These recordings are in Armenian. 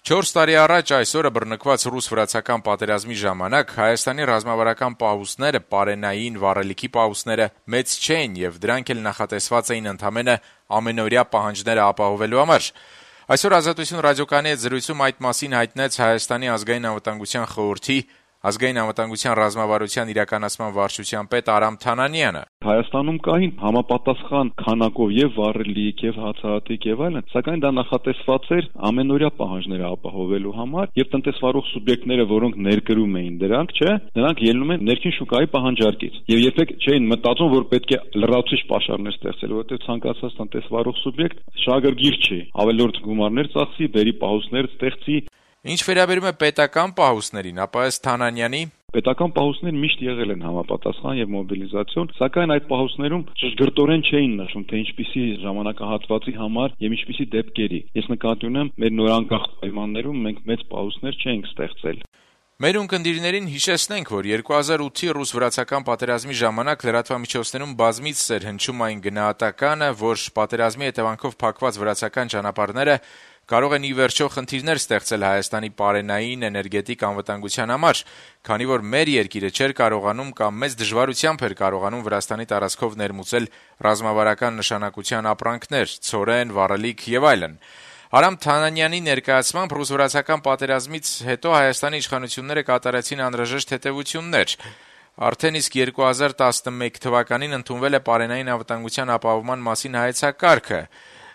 4 տարի առաջ այսօրը բռնկված ռուս-վրացական պատերազմի ժամանակ Հայաստանի ռազմավարական պահուստները, պարենային վառելիքի պահուստները մեծ չէին եւ դրանք էլ նախատեսված էին ընդամենը ամենօրյա պահանջները ապահովելու համար։ Այսօր Ազատություն ռադիոկայանի հետ զրույցում այդ մասին հայտնեց Հայաստանի ազգային անվտանգության խորհրդի ազգային անվտանգության ռազմավարության իրականացման վարչության պետ Արամ Թանանյանը։ Հայաստանում կային համապատասխան քանակով եւ վառելիք եւ հացահատիկ եւ այլն, սակայն դա նախատեսված էր ամենօրյա պահանջները ապահովելու համար եւ տնտեսվարող սուբյեկտները, որոնք ներկրում էին դրանք, նրանք ելնում են ներքին շուկայի պահանջարկից եւ երբեք չէին մտածում, որ պետք է լրացուցիչ պաշարներ ստեղծել, որովհետեւ ցանկացած տնտեսվարող սուբյեկտ շահագրգիռ չի, ավելորդ գումարներ ծախսի, բերի պահուստներ ստեղծի։ Ինչ վերաբերում է պետական պահուստներին, ապա ըստ Թանանյանի պետական պահուստներ միշտ եղել են համապատասխան եւ մոբիլիզացիոն, սակայն այդ պահուստներում ճշգրտորեն չէին նշում, թե ինչպիսի ժամանակահատվածի համար եւ ինչպիսի դեպքերի։ Ես նկատի ունեմ, մեր նորանկախ պայմաններում մենք մեծ պահուստներ չենք ստեղծել։ Մեր ունկնդիրներին հիշեցնենք, որ 2008-ի ռուս-վրացական պատերազմի ժամանակ լրատվամիջոցներում բազմիցս էր հնչում այն գնահատականը, որ պատերազմի հետևանքով փակված վրացական ճանապարհները կարող են ի վերջո խնդիրներ ստեղծել Հայաստանի պարենային էներգետիկ անվտանգության համար, քանի որ մեր երկիրը չէր կարողանում կամ մեծ դժվարությամբ էր կարողանում Վրաստանի տարածքով ներմուծել ռազմավարական նշանակության ապրանքներ, ցորեն, վառելիք եւ այլն։ Արամ Թանանյանի ներկայացմամբ ռուս-վրացական պատերազմից հետո Հայաստանի իշխանությունները կատարեցին անհրաժեշտ հետևություններ։ Արդեն իսկ 2011 թվականին ընդունվել է պարենային անվտանգության ապահովման մասին հայեցակարգը,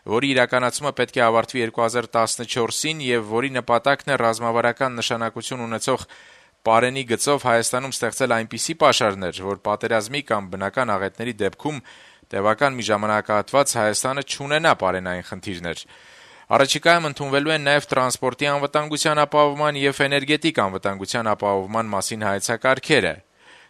որի իրականացումը պետք է ավարտվի 2014-ին եւ որի նպատակն է ռազմավարական նշանակություն ունեցող պարենի գծով Հայաստանում ստեղծել այնպիսի պաշարներ, որ պատերազմի կամ բնական աղետների դեպքում տևական մի ժամանակահատված Հայաստանը չունենա պարենային խնդիրներ։ Առաջիկայում ընդունվելու են նաեւ տրանսպորտի անվտանգության ապահովման եւ էներգետիկ անվտանգության ապահովման մասին հայեցակարգերը։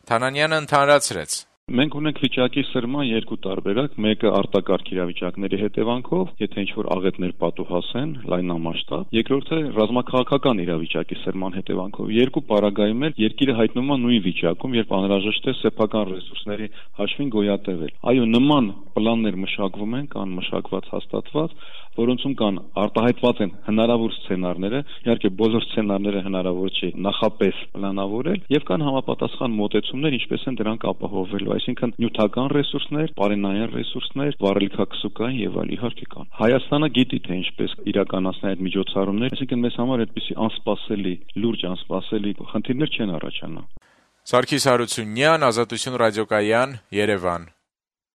Թանանյանը ընդհանրացրեց. Մենք ունենք վիճակի սրման երկու տարբերակ, մեկը արտակարգ իրավիճակների հետևանքով, եթե ինչ-որ աղետներ պատուհասեն, լայնամասշտաբ, երկրորդը ռազմաքաղաքական իրավիճակի սրման հետևանքով։ Երկու պարագայում էլ երկիրը հայտնվում է նույն վիճակում, երբ անհրաժեշտ է սեփական ռեսուրսների հաշվին գոյատևել։ Այո, նման պլաններ մշակվում են, կան մշակված հաստատված, որոնցում կան արտահայտված են հնարավոր սցենարները, իհարկե բոլոր սցենարները հնարավոր չի նախապես պլանավորել, եւ կան համապատասխան մոտեցումներ, ինչպես են դրանք ապահովելու, այսինքն նյութական ռեսուրսներ, պարենային ռեսուրսներ, վառելիքակսուկային եւ այլ իհարկե կան։ Հայաստանը գիտի թե ինչպես իրականացնել այդ միջոցառումները, այսինքն մեզ համար այդպիսի անսպասելի, լուրջ անսպասելի խնդիրներ չեն առաջանա։ Սարգիս Հարությունյան, Ազատություն ռադիոկայան, Երևան։